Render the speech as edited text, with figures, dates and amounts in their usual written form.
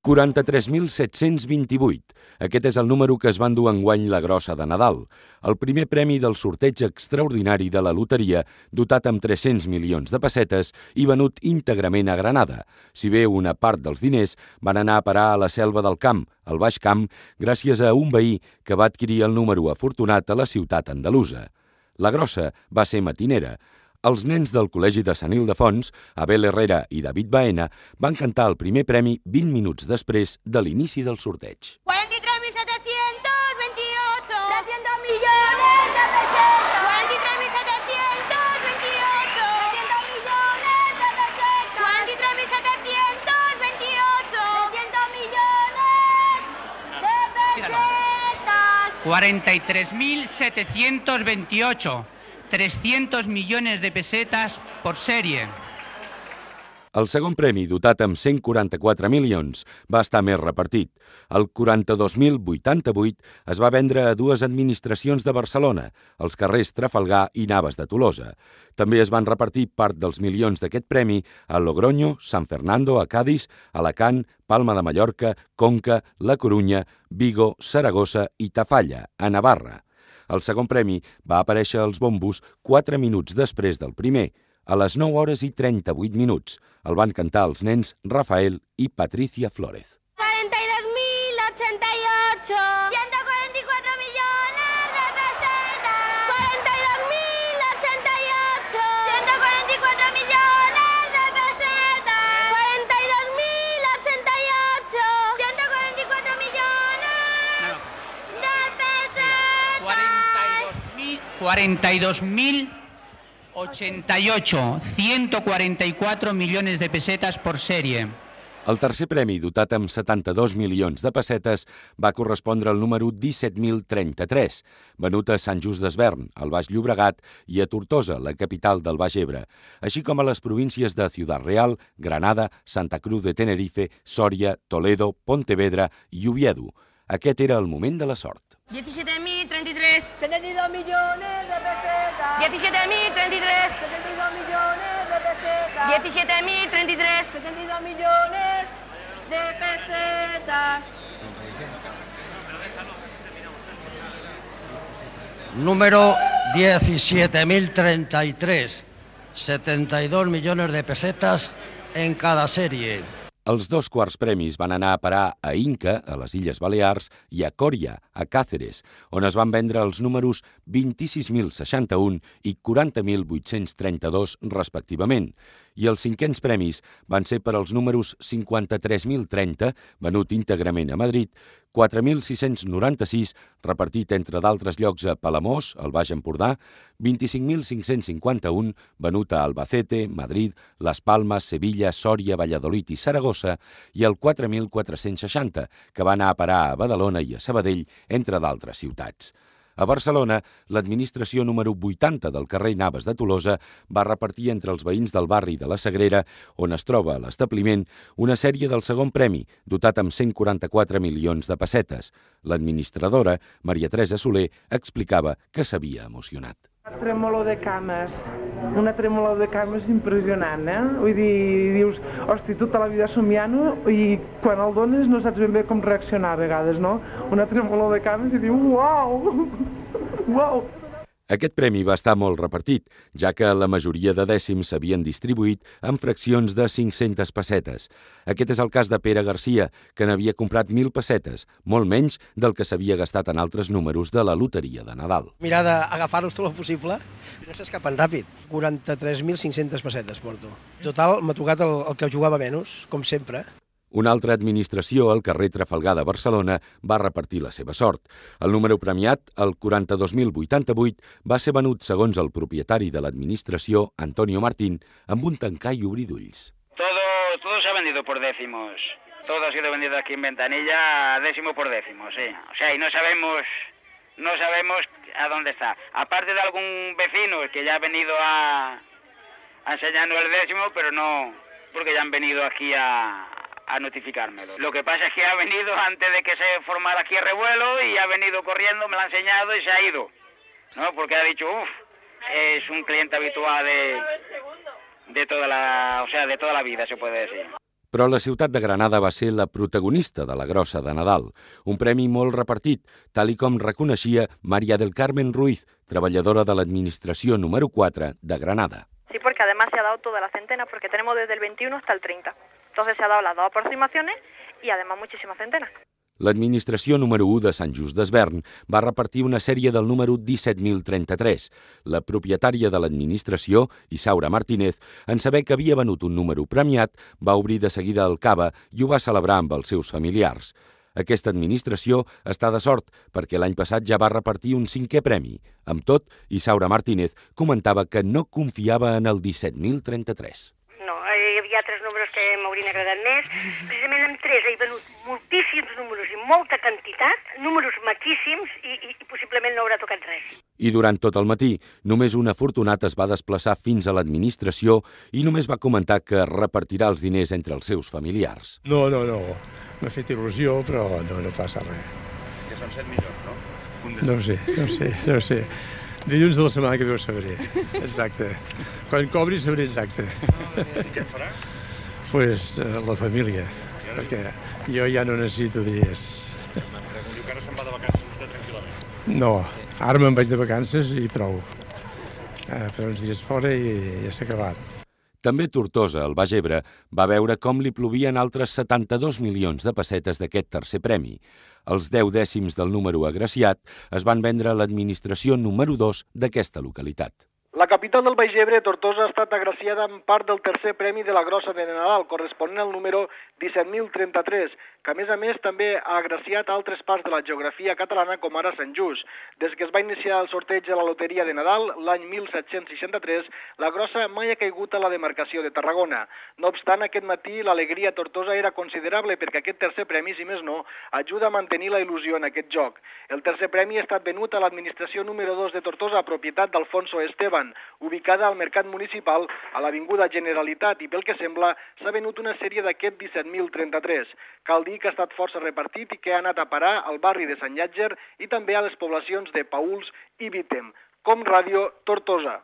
43.728. Aquest és el número que es va endur enguany la grossa de Nadal. El primer premi del sorteig extraordinari de la loteria, dotat amb 300 milions de pessetes i venut íntegrament a Granada. Si bé una part dels diners van anar a parar a la Selva del Camp, al Baix Camp, gràcies a un veí que va adquirir el número afortunat a la ciutat andalusa. La grossa va ser matinera. Els nens del Col·legi de Sant Ildefons, Abel Herrera i David Baena, van cantar el primer premi 20 minuts després de l'inici del sorteig. 43.728. 300 millones de pesetas. 43.728. 300 millones de pesetas. 43.728. 300 millones de pesetas. 43.728. 300 millones de pesetas por serie. El segon premi, dotat amb 144 milions, va estar més repartit. El 42.088 es va vendre a dues administracions de Barcelona, els carrers Trafalgar i Navas de Tolosa. També es van repartir part dels milions d'aquest premi a Logroño, San Fernando, a Cádiz, Alacant, Palma de Mallorca, Conca, La Corunya, Vigo, Saragossa i Tafalla, a Navarra. El segon premi va aparèixer als bombos 4 minuts després del primer, a les 9 hores i 38 minuts. El van cantar els nens Rafael i Patricia Flórez. 42.088. 144 millones de pesetas. 42.088. 144 millones de pesetas. 42.088. 144 millones de pesetas. 42.088, 144 millones de pesetas por serie. El tercer premi, dotat amb 72 milions de pessetes, va correspondre al número 17.033, venut a Sant Just Desvern, al Baix Llobregat, i a Tortosa, la capital del Baix Ebre, així com a les províncies de Ciudad Real, Granada, Santa Cruz de Tenerife, Sòria, Toledo, Pontevedra i Oviedo. Aquest era el moment de la sort. 17.033. 72 millones de pesetas. 17.033. 72 millones de pesetas. 17.033. 72 millones de pesetas. Número 17.033. 72 millones de pesetas en cada serie. Els dos quarts premis van anar a parar a Inca, a les Illes Balears, i a Coria, a Càceres, on es van vendre els números 26.061 i 40.832 respectivament. I els cinquens premis van ser per als números 53.030, venut íntegrament a Madrid, 4.696, repartit entre d'altres llocs a Palamós, al Baix Empordà, 25.551, venut a Albacete, Madrid, Les Palmes, Sevilla, Sòria, Valladolid i Saragossa, i el 4.460, que va anar a parar a Badalona i a Sabadell, entre d'altres ciutats. A Barcelona, l'administració número 80 del carrer Navas de Tolosa va repartir entre els veïns del barri de la Sagrera, on es troba l'establiment, una sèrie del segon premi, dotat amb 144 milions de pessetes. L'administradora, Maria Teresa Soler, explicava que s'havia emocionat. Una tremolor de cames impressionant, eh? Vull dir, dius, hosti, tota la vida somiant-ho i quan el dones no saps ben bé com reaccionar a vegades, no? Una tremolor de cames i dius, uau, uau. Aquest premi va estar molt repartit, ja que la majoria de dècims s'havien distribuït en fraccions de 500 pessetes. Aquest és el cas de Pere Garcia, que n'havia comprat 1.000 pessetes, molt menys del que s'havia gastat en altres números de la loteria de Nadal. Mirar d'agafar-los tot el possible, no s'escapen ràpid. 43.500 pessetes porto. Total, m'ha tocat el que jugava menys, com sempre. Una altra administració, al carrer Trafalgar de Barcelona, va repartir la seva sort. El número premiat, el 42.088, va ser venut, segons el propietari de l'administració, Antonio Martín, amb un tancar i obrir d'ulls. Todo se ha vendido por décimos. Todo ha sido vendido aquí en Ventanilla a décimo por décimo, sí. O sea, y no sabemos a dónde está. Aparte de algún vecino que ya ha venido a enseñarnos el décimo, pero no, porque ya han venido aquí a notificármelo. Lo que pasa es que ha venido antes de que se formara aquí el revuelo y ha venido corriendo, me lo ha enseñado y se ha ido, ¿no? Porque ha dicho, es un cliente habitual de toda la vida, se puede decir. Però la ciutat de Granada va ser la protagonista de la Grossa de Nadal, un premi molt repartit, tal i com reconeixia María del Carmen Ruiz, treballadora de l'administració número 4 de Granada. Sí, porque además se ha dado toda la centena, porque tenemos desde el 21 hasta el 30. Entonces se ha dado las dos aproximaciones y además muchísimas centenas. L'administració número 1 de Sant Just d'Esvern va repartir una sèrie del número 17.033. La propietària de l'administració, Isaura Martínez, en saber que havia venut un número premiat, va obrir de seguida el cava i ho va celebrar amb els seus familiars. Aquesta administració està de sort perquè l'any passat ja va repartir un 5è premi. Amb tot, Isaura Martínez comentava que no confiava en el 17.033. No, hi havia 3 números que m'haurien agradat més. Precisament amb 3 he venut moltíssims números i molta quantitat, números maquíssims i possiblement no haurà tocat res. I durant tot el matí, només un afortunat es va desplaçar fins a l'administració i només va comentar que repartirà els diners entre els seus familiars. No. M'ha fet il·lusió, però no passa res. Que són 7 milions, no? No sé. Dilluns de la setmana que ve ho sabré, exacte. Quan cobri sabré exacte. I què et farà? Pues la família, perquè jo ja no necessito diners. Diu que ara se'n va de vacances vostè tranquil·lament. No, ara me'n vaig de vacances i prou. Per uns dies fora i ja s'ha acabat. També Tortosa, al Baix Ebre, va veure com li plovien altres 72 milions de pessetes d'aquest tercer premi. Els 10 dècims del número agraciat es van vendre a l'administració número 2 d'aquesta localitat. La capital del Baix Ebre, Tortosa, ha estat agraciada amb part del tercer premi de la Grossa de Nadal, corresponent al número 17.033, que a més també ha agraciat altres parts de la geografia catalana com ara Sant Just. Des que es va iniciar el sorteig de la loteria de Nadal, l'any 1763, la Grossa mai ha caigut a la demarcació de Tarragona. No obstant, aquest matí l'alegria a Tortosa era considerable perquè aquest tercer premi, si més no, ajuda a mantenir la il·lusió en aquest joc. El tercer premi ha estat venut a l'administració número 2 de Tortosa, propietat d'Alfonso Esteban, ubicada al Mercat Municipal a l'Avinguda Generalitat, i pel que sembla s'ha venut una sèrie d'aquest 17.033. Cal dir que ha estat força repartit i que ha anat a parar al barri de Sant Llàtzer i també a les poblacions de Paüls i Vítem. Com Ràdio, Tortosa.